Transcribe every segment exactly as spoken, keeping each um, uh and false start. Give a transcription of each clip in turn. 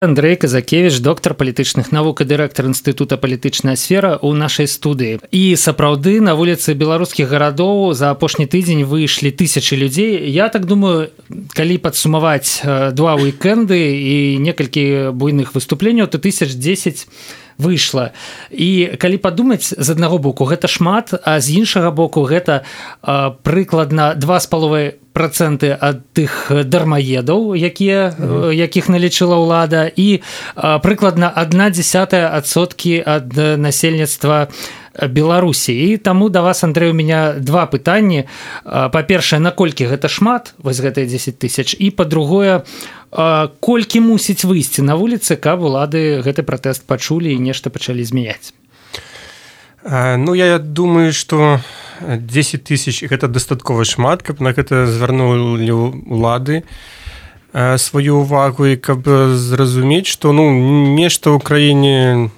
Андрей Казакевич, доктар палітычных навук і дырэктар інстытута палітычная сфера ў нашай студыі. І сапраўды на вуліцы беларускіх гарадоў за апошні тыдзень выйшлі тысячы людзей. Я так думаю, калі падсумаваць два уікенды і некалькі буйных выступленняў, то тысяч дзесяць выйшла. І калі падумаць, з аднаго боку гэта шмат, а з іншага боку гэта а, прыкладна два з паловай працэнты ад тых дармаедаў, якія, mm-hmm. якіх налічыла ўлада, і а, прыкладна адна дзесятая адсоткі ад насельніцтва Беларусі. І таму да вас, Андрэй, у меня два пытанні. Па-першае, наколькі гэта шмат, вось гэтыя дзесяць тысяч, і па-другое, колькі мусіць выйсці на вуліцы, каб улады гэты пратэст пачулі і нешта пачалі змяняць? Ну, я думаю, што дзесяць тысяч гэта дастаткова шмат, каб на гэта звярнулі улады сваю ўвагу і каб зразумець, што ну, нешта ў краіне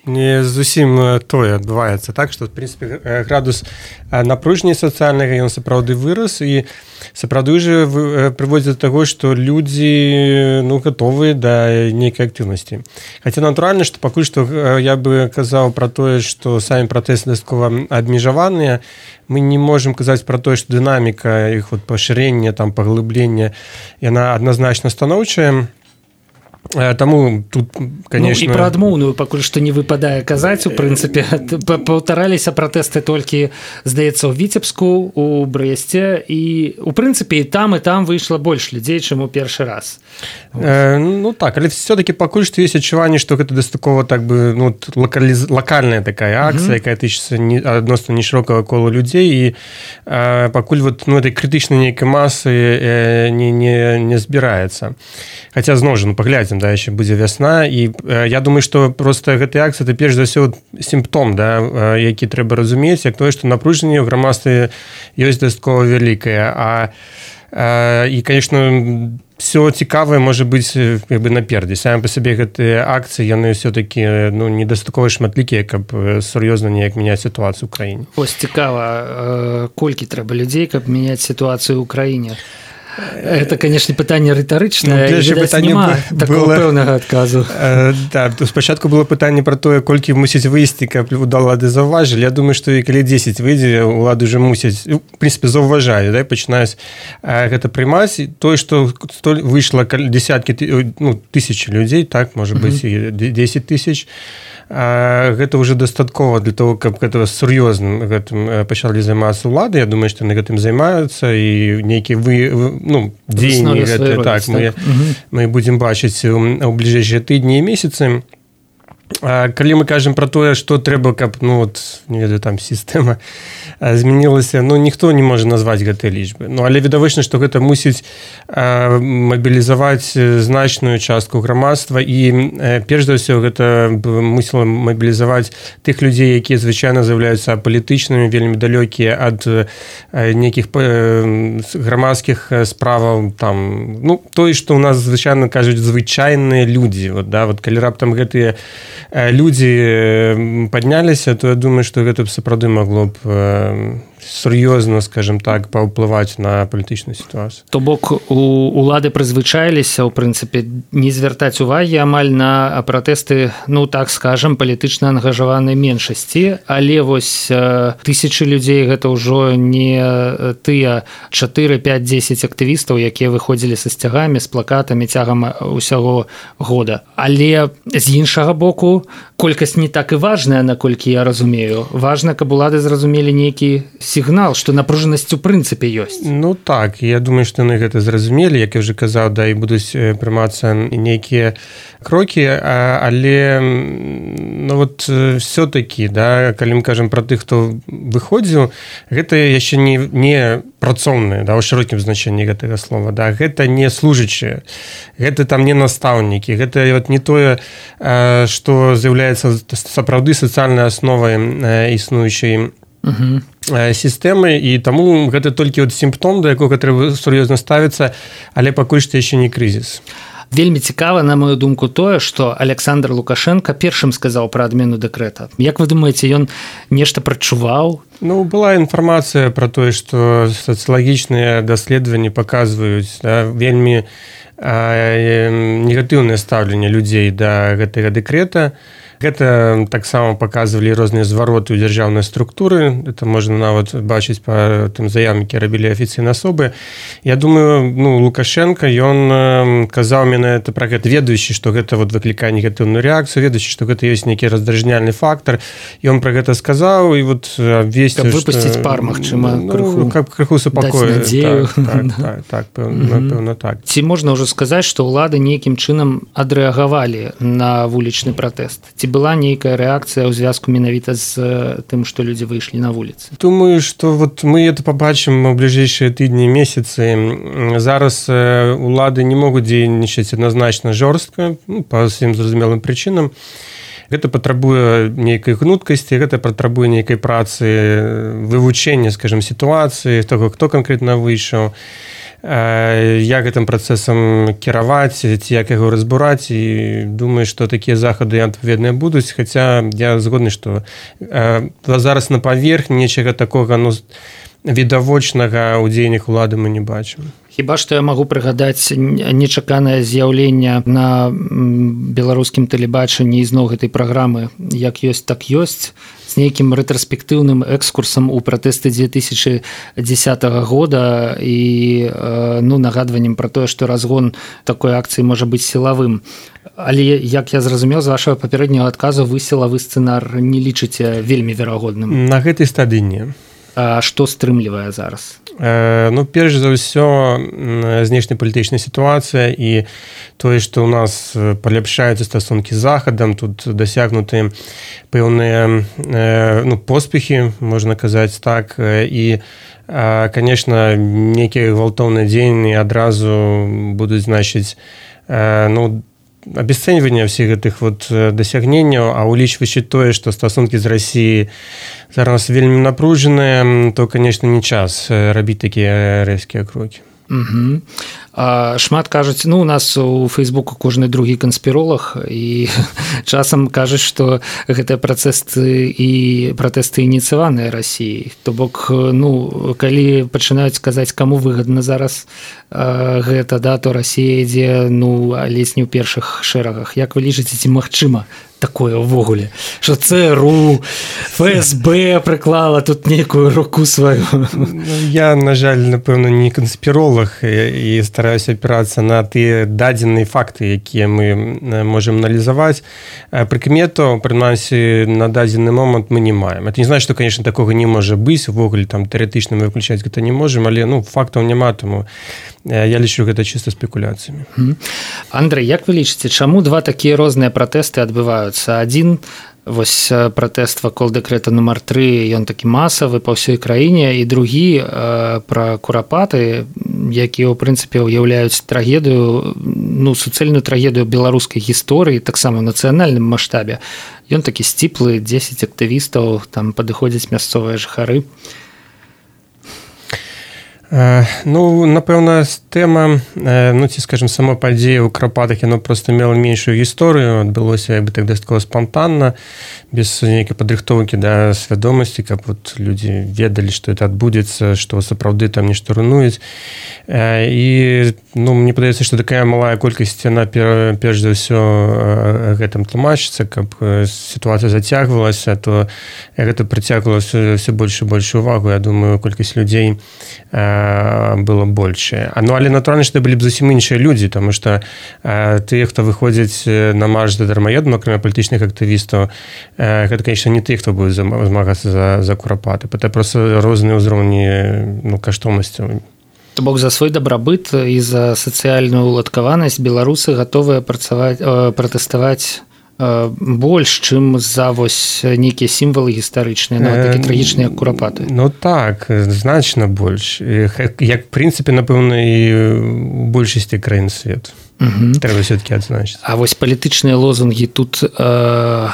не зусім тое адбываецца. Так, што, в прынцыпе, градус напружання сацыяльнага ён сапраўды вырас і сапраўды ўжо прыводзіць да таго, што людзі ну, гатовыя да нейкай актыўнасці. Хаця натуральна, што пакуль што я бы казаў пра тое, што самі пратэсты дастаткова абмежаваныя, мы не можам казаць пра тое, што дынаміка іх вот, пашырення, там, паглыблення, яна адназначна станоўчая. Таму тут, конечно... Ну, і пра адмоўную пакуль што не выпадае казаць, у прынцыпе, паўтараліся пратэсты толькі, здаецца, у Віцебску, у Брэсце, і, у прынцыпе, і там, і там выйшла больш людзей, чым у першы раз. Э, ну, так, але все-таки пакуль што ёсць адчуванне, што гэта дастаткова, так бы, ну, локаліз... локальная такая акцыя, mm-hmm. якая тычыцца не... адносна нешырокага кола людзей, і э, пакуль вот, ну, этой крытычнай нейкай масы э, не, не, не збіраецца. Хаця, зноў жа, ну, паглядзім, да, яшчэ будзе вясна, і э, я думаю, што проста гэтая акцыя, это перш за ўсё сімптом, да, э, які трэба разумець, як тое, што напружанне ў грамадстве ёсць дастаткова вялікае, а э, і, конечно, все цікавае можа быць як бы наперадзе. Самі па сабе гэтыя акцыі, яны ўсё-такі ну, недастаткова шматлікія, каб сур'ёзна неяк мяняць сітуацыю ў краіне. Ось цікава, колькі трэба людзей, каб мяняць сітуацыю ў краіне? Это, конечно, пытанне рытарычнае, ну, відаць, няма такого пэўнага адказу. Э, да, спачатку было пытанне пра тое, колькі мусіць выйсці, каб улады заўважылі. Я думаю, што і калі дзесяць выйдзе, улады ўжо мусяць, в прынцыпе, заўважаюць, да, пачынаюць э, гэта прымаць. Тое, што выйшла десяткі, ну, тысячы людзей, так, можа быць, і дзесяць тысяч, А, гэта ўжо дастаткова для того, каб гэта сур'ёзна гэтым пачалі займацца ўлады. Я думаю, што яны гэтым займаюцца і нейкія вы, ну, дзеянні гэта, так, так. Мы, угу. мы будзем бачыць у, у бліжэйшыя тыдні і месяцы. А калі мы кажам пра тое, што трэба, каб ну, от, не ведаю, там сістэма змянілася, ну, ніхто не можа назваць гэтыя лічбы. Ну, але відавочна, што гэта мусіць а, мабілізаваць значную частку грамадства і а, перш за ўсё гэта мусіла мабілізаваць тых людзей, якія звычайна з'яўляюцца апалітычнымі, вельмі далёкія ад а, нейкіх а, грамадскіх справаў. Там, ну, тое, што ў нас звычайна кажуць звычайныя людзі. Вот, да, вот, калі раптам гэтыя людзі падняліся, то я думаю, што гэта б сапраўды магло б сур'ёзна, скажем так, паўплываць на палітычную сітуацыю. То бок у улады прызвычаіліся, у прынцыпе, не звяртаць увагі амаль на пратэсты, ну так скажам, палітычна ангажаванай меншасці, але вось тысячы людзей гэта ўжо не тыя чатыры, пяць, дзесяць актывістаў, якія выходзілі са сцягамі, з плакатамі цягам усяго года. Але з іншага боку, колькасць не так і важная, наколькі я разумею. Важна, каб улады зразумелі нейкі сігнал, што напружанасць у прынцыпе ёсць. Ну так, я думаю, што яны гэта зразумелі, як я ўжо казаў, да, і будуць прымацца нейкія крокі, але ну вот все-таки, да, калі мы кажам пра тых, хто выходзіў, гэта яшчэ не, не працоўныя, да, у шырокім значэнні гэтага слова, да, гэта не служачыя, гэта там не настаўнікі, гэта вот не тое, што з'яўляецца сапраўды сацыяльнай асновай існуючай Uh-huh. сістэмы, і таму гэта толькі от сімптом, да якога трэба сур'ёзна ставіцца, але пакуль што яшчэ не крызіс. Вельмі цікава, на мою думку, тое, што Александр Лукашенко першым сказаў пра адмену дэкрэта. Як вы думаеце, ён нешта прачуваў? Ну, была інфармацыя пра тое, што сацыялагічныя даследаванні паказваюць, да, вельмі негатыўнае стаўленне людзей да гэтага дэкрэта. Гэта таксама паказвалі розныя звароты ў дзяржаўнай структуры. Это можна нават бачыць па тым заявам, які рабілі афіцыйныя асобы. Я думаю, ну, Лукашенко, ён казаў менавіта пра гэта, ведаючы, што гэта вот выклікае негатыўную рэакцыю, ведаючы, што гэта ёсць нейкі раздражняльны фактар. Ён пра гэта сказаў і вот абвесціў, каб выпусціць пар, магчыма, крыху, ну, каб крыху супакоіць. Так, так, так, так, пэўна так. Ці можна ўжо сказаць, што ўлады нейкім чынам адрэагавалі на вулічны пратэст? Ці была нейкая рэакцыя ў звязку менавіта з тым, што людзі выйшлі на вуліцы? Думаю, што вот мы это пабачым у бліжэйшыя тыдні, месяцы. Зараз улады не могуць дзейнічаць адназначна жорстка, ну, па ўсім зразумелым прычынам. Гэта патрабуе нейкай гнуткасці, гэта патрабуе нейкай працы, вывучэння, скажем, сітуацыі, таго, хто канкрэтна выйшаў, як гэтым працэсам кіраваць, ці як яго разбураць, і думаю, што такія захады адпаведныя будуць, хаця я згодны, што зараз на паверхні нечага такога, ну, відавочнага ў дзеяннях улады мы не бачым. Хіба што я магу прыгадаць нечаканае з'яўленне на беларускім тэлебачанні ізноў гэтай праграмы «Як ёсць, так ёсць», з нейкім рэтраспектыўным экскурсам у пратэсты две тысячи дзесятого года і ну, нагадваннем пра тое, што разгон такой акцыі можа быць сілавым. Але, як я зразумеў, з вашага папярэдняга адказу, вы сілавы сцэнар не лічыце вельмі верагодным. На гэтай стадыі не. А што стрымлівае зараз? Ну, перш за ўсё, знешнепалітычная сітуацыя і тое, што ў нас паляпшаюцца стасункі з Захадам, тут дасягнуты пэўныя, ну, поспехі, можна казаць так, і, конечно, нейкія гвалтоўныя дзеянні адразу будуць значыць, ну, абесцэньванне ўсіх гэтых вот дасягненняў, а улічваючы тое, што стасункі з Расіяй зараз вельмі напружаныя, то, конечно, не час рабіць такія рэзкія крокі. Угу. А шмат кажуць, ну, у нас у Фейсбуку кожны другі канспіролог, і часам кажуць, што гэтыя працэсты і пратэсты ініцыяваныя Расіяй. То бок, ну, калі пачынаюць казаць, каму выгадна зараз а, гэта, да, то Расія ідзе, ну, ледзь не ў першых шэрагах. Як вы лічыце, ці магчыма такое ўвогуле, што ЦРУ, ФСБ прыклала тут нейкую руку сваю? Я, на жаль, напэўна, не канспіролог і стараюся апірацца на тыя дадзеныя факты, якія мы можам аналізаваць. Прыкметаў, прынамсі, на дадзены момант мы не маем. Это не значит, што, конечно, такога не можа быць, увогуле там тэарэтычна мы выключаць гэта не можам, але, ну, фактаў няма, таму я лічу гэта чыста спекуляцыямі. Андрэй, як вы лічыце, чаму два такія розныя пратэсты адбываюцца? Адзін, вось пратэст вакол дэкрэта нумар тры, ён такі масавы па ўсёй краіне, і другі пра курапаты, якія, ў прынцыпе, уяўляюць трагедыю, ну, суцэльную трагедыю беларускай гісторыі, таксама ў нацыянальным маштабе. Ён такі сціплы, дзесяць актывістаў, там падыходзяць мясцовыя жыхары. Ну, напэўна, тэма, ну, ці, скажем, сама падзея ў Карпатах, яно проста мела меншую гісторыю, адбылося, як бы так, дастаткова спантанна, без нейкай падрыхтоўкі да свядомасці, каб вот людзі ведалі, што это адбудзецца, што сапраўды там нешта рунуюць. І, ну, мне падаецца, што такая малая колькасць, яна перш за ўсё гэтым тлумачыцца, каб сітуацыя зацягвалася, то гэта прыцягвала ўсё больш і больш увагу. Я думаю, колькасць людзей было большее. Ну, але натуральна, што былі б зусім іншыя людзі, таму што тыя, хто выходзяць на марш да дармаедаў, акрамя палітычных актывістаў, гэта, конечно, не тыя, хто будзе змагацца за, за курапаты. Гэта проста розныя ўзроўні, ну, каштоўнасцяў. То бок за свой дабрабыт і за сацыяльную уладкаванасць беларусы гатовыя працаваць, пратэставаць больш, чым за вось нейкія сімвалы гістарычныя, нават такі трагічныя, як курапаты. Ну так, значна больш. Як, в прынцыпе, напэўна, і ў большасці краін свету. Угу. Трэба все-таки адзначыць. А вось палітычныя лозунгі тут э,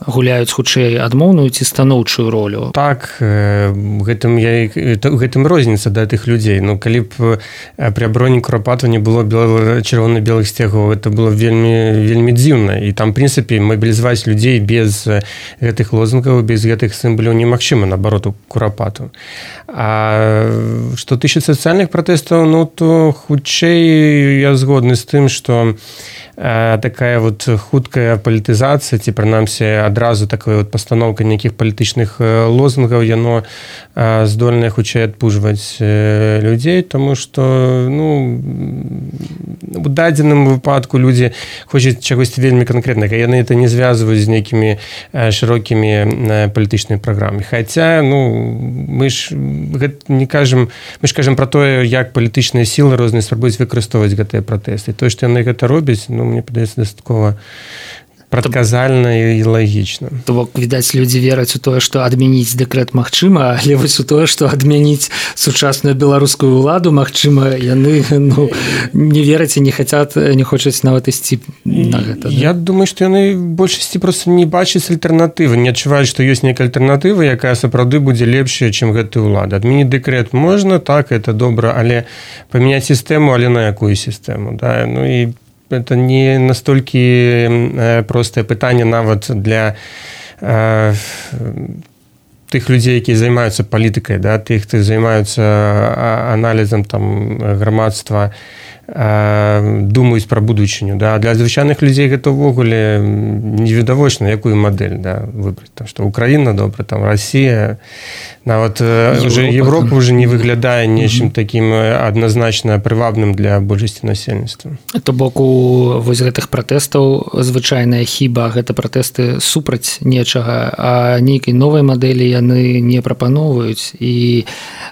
гуляюць хутчэй адмоўную ці станоўчую ролю. Так, гэтым я гэтым розніца да тых людзей. Ну калі б пры абароне Курапатова не было чырвона-белых сцягоў, это было вельмі вельмі дзіўна. І там, в прынцыпе, мабілізаваць людзей без гэтых лозунгаў, без гэтых сімваляў немагчыма, наоборот, у Курапатова. А што тычыцца сацыяльных пратэстаў, ну то хутчэй я згодны з тым, што такая вот хуткая палітызацыя, ці прынамсі адразу такая вот пастаноўка нейкіх палітычных лозунгаў, яно здольнае хутчэй адпужваць людзей, таму што ну, у дадзеным выпадку людзі хочуць чагось вельмі канкрэтнага, яны это не звязваюць з нейкімі шырокімі палітычнымі праграмамі. Хаця ну, мы ж не кажам, мы ж кажам пра тое, як палітычныя сілы розныя спрабуюць выкарыстоўваць гэтыя пратэсты. Тое, што яны гэта робяць, ну, мне падаецца дастаткова прадказальна і лагічна. То бок, відаць, людзі вераць у тое, што адмяніць дэкрэт магчыма, але вось у тое, што адмяніць сучасную беларускую ўладу магчыма, яны ну, не вераць і не хацят, не хочуць нават ісці на гэта. Я да? думаю, што яны большасці проста не бачаць альтэрнатывы, не адчуваюць, што ёсць нейкая альтэрнатыва, якая сапраўды будзе лепшая, чым гэтая ўлада. Адмяніць дэкрэт можна, так, это добра, але памяняць сістэму, але на якую сістэму, да? Ну і это не настолькі простае пытанне нават для э, тых людзей, якія займаюцца палітыкай, да, тых, хто займаюцца аналізам там грамадства, э, думаюць пра будучыню, да. Для звычайных людзей гэта ўвогуле невідавочна, якую мадэль, да, выбраць, там, што Украіна добра, там Расія, нават Европа, уже Европа уже не выглядае нечым mm-hmm. такім адназначна прывабным для большасці насельніцтва. То бок у вось гэтых пратэстаў звычайная хіба, гэта пратэсты супраць нечага, а нейкай новай мадэлі яны не прапаноўваюць, і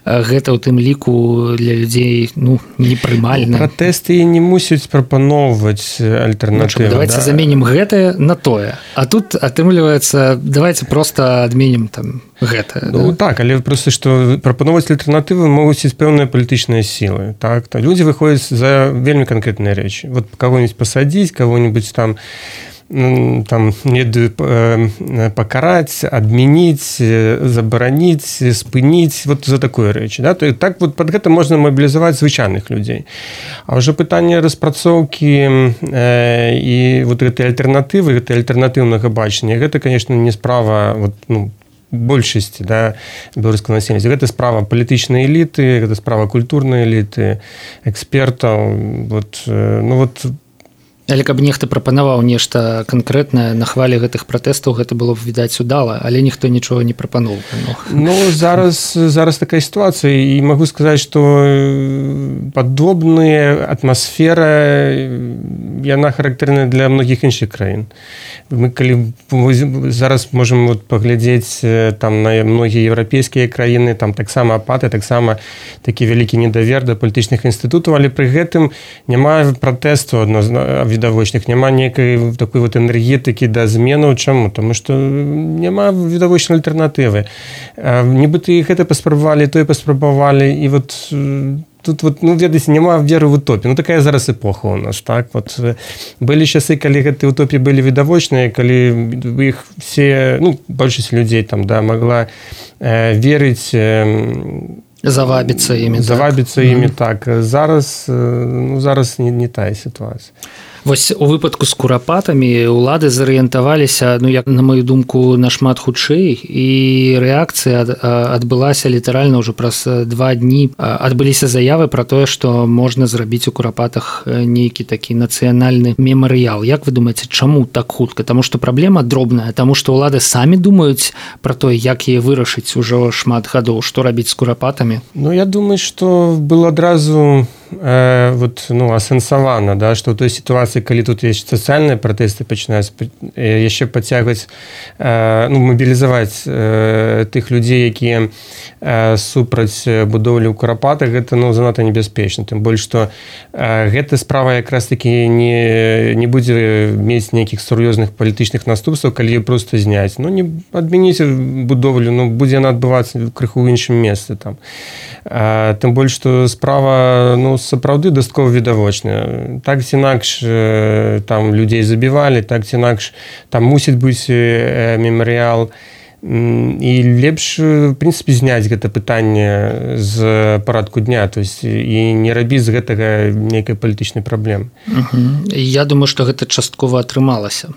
гэта ў тым ліку для людзей ну, непрымальна. Пратэсты не мусяць прапаноўваць альтэрнатывы. Ну, давайте да? заменім гэтае на тое. А тут атрымліваецца, давайте проста адменім там гэта. Ну, да? Так, але проста, што прапаноўваць альтэрнатывы могуць быць пэўныя палітычныя сілы. Так? То людзі выходзяць за вельмі канкрэтныя рэчы. Вот кого-нибудь пасадзіць, кого-нибудь там там не пакараць, адмяніць, забараніць, спыніць, вот за такое рэчы. Да? То, так вот пад гэта можна мабілізаваць звычайных людзей. А ўжо пытанне распрацоўкі э, і вот гэтай альтэрнатывы, гэтай альтэрнатыўнага бачання, гэта, конечно, не справа вот, ну, большасці да, беларускага насельніцтва. Гэта справа палітычнай эліты, гэта справа культурнай эліты, экспертаў. Вот, ну, вот, але каб нехта прапанаваў нешта канкрэтнае на хвале гэтых пратэстаў, гэта было б відаць удала, але ніхто нічога не прапаноўвае. Ну, ну зараз, зараз такая сітуацыя, і магу сказаць, што падобная атмасфера, яна характэрная для многіх іншых краін. Мы калі зараз можам вот паглядзець там на многія еўрапейскія краіны, там таксама апатыя, таксама такі вялікі недавер да палітычных інстытутаў, але пры гэтым няма пратэсту відавочных, няма нейкай такой вот энергетыкі да зменаў. Чаму? Таму што няма відавочнай альтэрнатывы. Нібыта і гэта паспрабавалі, тое паспрабавалі, і вот тут вот, ну, ведаеце, няма веры в утопію. Ну, такая зараз эпоха у нас, так? Вот, былі часы, калі гэтыя утопіі былі відавочныя, калі іх все, ну, большасць людзей там, да, могла э, верыць, э, завабіцца імі. Завабіцца так. імі, mm-hmm. так. Зараз, ну, зараз не, не тая сітуацыя. Вось у выпадку з курапатамі ўлады зарыентаваліся, ну, як на маю думку, нашмат хутчэй, і рэакцыя адбылася літаральна ўжо праз два дні. Адбыліся заявы пра тое, што можна зрабіць у курапатах нейкі такі нацыянальны мемарыял. Як вы думаеце, чаму так хутка? Таму што праблема дробная, таму што ўлады самі думаюць пра тое, як яе вырашыць ужо шмат гадоў, што рабіць з курапатамі? Ну, я думаю, што было адразу э, вот, ну, асэнсавана, да, што ў той сітуацыі, калі тут ёсць сацыяльныя пратэсты, пачынаюць яшчэ пацягваць, ну, мабілізаваць тых людзей, якія супраць будоўлі ў курапатах, гэта, ну, занадта небяспечна. Тым больш, што гэта справа якраз такі не, не будзе мець нейкіх сур'ёзных палітычных наступстваў, калі проста зняць. Ну, не адмяніце будоўлю, ну, будзе яна адбывацца крыху ў іншым месцы там. Тым больш, што справа, ну, сапраўды дастаткова відавочна. Так ці інакш там людзей забівалі, так ці інакш там мусіць быць мемарыял. І лепш, в прынцыпе, зняць гэта пытанне з парадку дня, то есть і не рабіць з гэтага нейкай палітычнай праблемы. Угу. Я думаю, што гэта часткова атрымалася.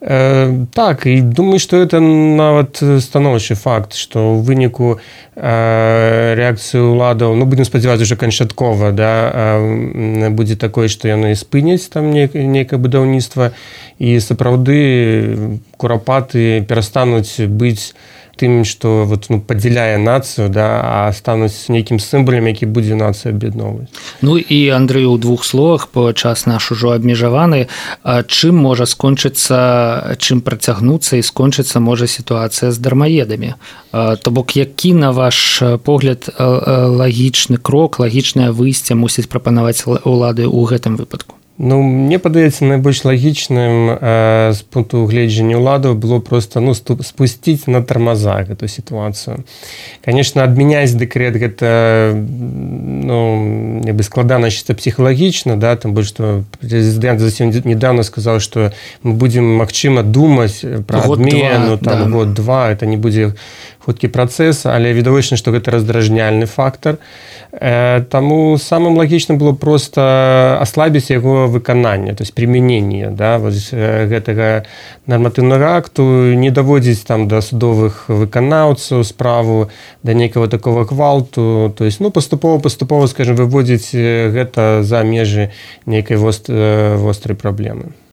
Э, так, і думаю, што гэта нават станоўчы факт, што ў выніку э, рэакцыі ўладаў, ну, будзем спадзявацца, уже канчаткова, да, э, будзе такое, што яны спыняць там нейкае будаўніцтва, і сапраўды курапаты перастануць быць тым, што вот, ну, падзяляе нацыю, да, а стануць нейкім сімвалам, які будзе нацыю аб'ядноўваць. Ну і, Андрэй, у двух словах, бо час наш ужо абмежаваны, чым можа скончыцца, чым працягнуцца і скончыцца можа сітуацыя з дармаедамі? То бок, які, на ваш погляд, лагічны крок, лагічнае выйсце мусіць прапанаваць улады ў гэтым выпадку? Ну, мне падаецца, найбольш лагічным э, з пункту гледжання ўладаў было проста, ну, спусціць на тармаза гэту сітуацыю. Конечно, адмяняць дэкрэт гэта, ну, нібы складана чыста псіхалагічна, да, там больш што прэзідэнт зусім недавно сказаў, што мы будзем, магчыма, думаць пра адмену, там, да. год-два, это не будзе хуткі працэс, але відавочна, што гэта раздражняльны фактар. Э, таму самым лагічным было проста аслабіць яго выканання, то есть прымяненне, да, вот, э, гэтага нарматыўнага акту, не даводзіць там да судовых выканаўцаў справу, да нейкага такого гвалту, то есть, ну, паступова-паступова, скажем, выводзіць гэта за межы нейкай вост, э, вострай праблемы.